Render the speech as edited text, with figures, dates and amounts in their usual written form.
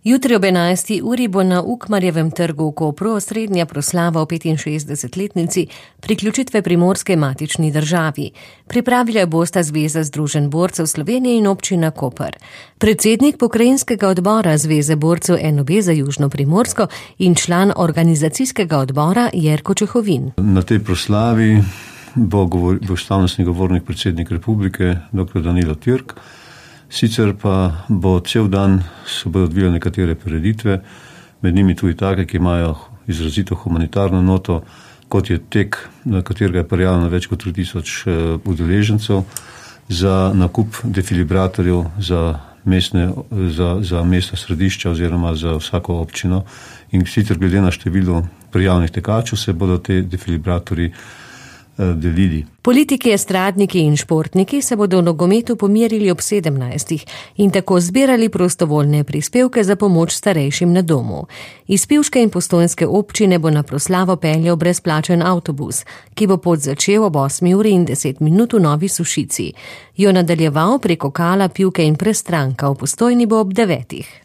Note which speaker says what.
Speaker 1: Jutri ob 11. uri bo na Ukmarjevem trgu v Kopru osrednja proslava o 65-letnici priključitve Primorske matični državi. Pripravila bosta Zveza združenj borcev Slovenije in občina Koper. Predsednik pokrajinskega odbora Zveze borcev NOB za Južno Primorsko in član organizacijskega odbora Jerko Čehovin.
Speaker 2: Na tej proslavi bo slavnostni govornik predsednik republike dr. Danilo Türk. Sicer pa bo cel dan se bodo odvijale nekatere prireditve, med njimi tudi take, ki imajo izrazito humanitarno noto, kot je tek, na katerega je prijavljeno več kot 3000 udeležencev, za nakup defilibratorjev za mestna središča oziroma za vsako občino. In sicer glede na število prijavljenih tekačev se bodo te defilibratorji delili.
Speaker 1: Politiki, estradniki in športniki se bodo v nogometu pomerili ob 17. in tako zbirali prostovoljne prispevke za pomoč starejšim na domu. Iz pivške in postojnske občine bo na proslavo peljal brezplačen avtobus, ki bo pot začel ob 8:10 v Novi Sušici. Jo nadaljeval preko Kala, Pivke in Prestranka, v Postojni bo ob 9.